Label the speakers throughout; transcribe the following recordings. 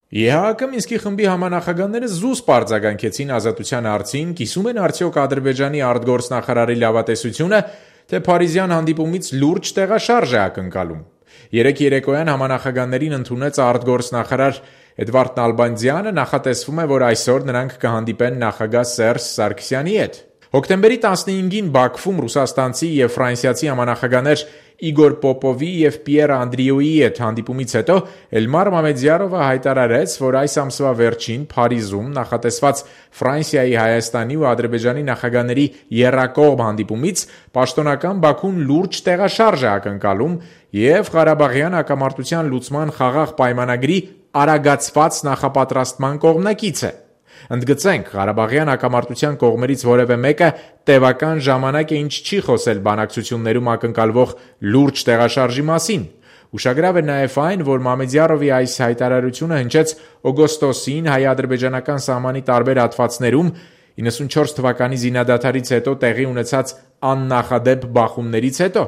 Speaker 1: ԵՀԱԿ Մինսկի խմբի համանախագահները զուսպ արձագանքեցին ազատության հարցին, կիսում են արդյոք Ադրբեջանի արտգործնախարարի լավատեսությունը, թե Փարիզյան հանդիպումից լուրջ տեղաշարժ է ակնկալում։ Երեկ երեկոյան համանախագահներին ընդունեց արտգործնախարար Էդվարդ Նալբանդյանը, նախատեսվում է, որ այսօր նրանք կհանդիպեն նախագահ Սերժ Սարգսյանի հետ։ Հոկտեմբերի 15-ին Բաքվում ռուսաստանցի և ֆրանսիացի համանախագահներ Իգոր Պոպովի և Պիեր Անդրիոյի հետ հանդիպումից հետո Էլմար Մամեդյարովը հայտարարեց, որ այս ամսվա վերջին Փարիզում նախատեսված Ֆրանսիայի, Հայաստանի ու Ադրբեջանի նախագահների եռակողմ հանդիպումից պաշտոնական Բաքուն լուրջ տեղաշարժ է ակնկալում և Ղարաբաղյան հակամարտության լուծման խաղաղ պայմանագրի արագացված նախապատրաստման կողմնակից է։ Ընդգծենք, Ղարաբաղյան հակամարտության կողմերից որևէ մեկը տևական ժամանակ է ինչ չի խոսել բանակցություններում ակնկալվող լուրջ տեղաշարժի մասին։ Ուշագրավ է նաև այն, որ Մամեդյարովի այս հայտարարությունը հնչեց օգոստոսին հայ-ադրբեջանական սահմանի տարբեր հատվածներում 94 թվականի զինադադարից հետո տեղի ունեցած աննախադեպ բախումներից հետո։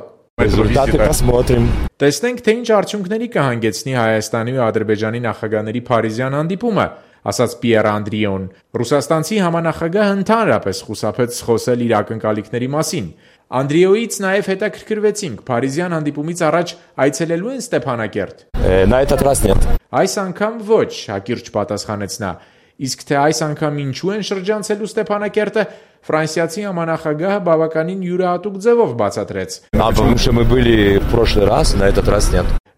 Speaker 1: Տեսնենք, թե ինչ արդյունքների կհանգեցնի Հայաստանի ու Ադրբեջանի նախագահների Փարիզյան հանդիպումը, ասաց Պիեր Անդրիոն։ Ռուսաստանցի համանախագահը ընդհանրապես խուսափեց խոսել իր ակնկալիքների մասին։ Անդրիոյից նաև հետաքրքրվեցինք, Փարիզյան հանդիպումից առաջ այցելելու են Ստեփանակերտ։ Այս անգամ ոչ, հակիրճ պատասխանեց նա։ Իսկ թե այս անգամ ինչու են շրջանցելու Ստեփանակերտը, ֆրանսիացի համանախագահը բավականին յուրահատուկ ձևով բացատրեց։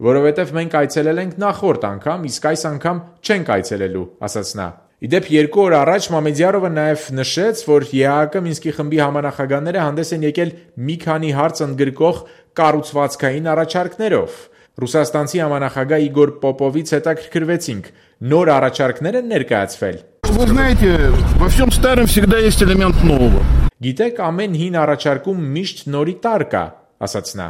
Speaker 1: Որովհետև մենք այցելել ենք նախորդ անգամ, իսկ այս անգամ չենք այցելելու, ասաց նա։ Իդեպ 2 օր առաջ Մամեդյարովը նաև նշեց, որ ԵԱՀԿ Մինսկի խմբի համանախագահները հանդես են եկել մի քանի հարց ընդգրկող կառուցվածքային առաջարկներով։ Ռուսաստանցի համանախագահ Իգոր Պոպովից հետաքրքրվեցինք, նոր առաջարկներ են ներկայացվել։ Գիտեք, ամեն հին առաջարկում միշտ նորի տար կա, ասաց նա։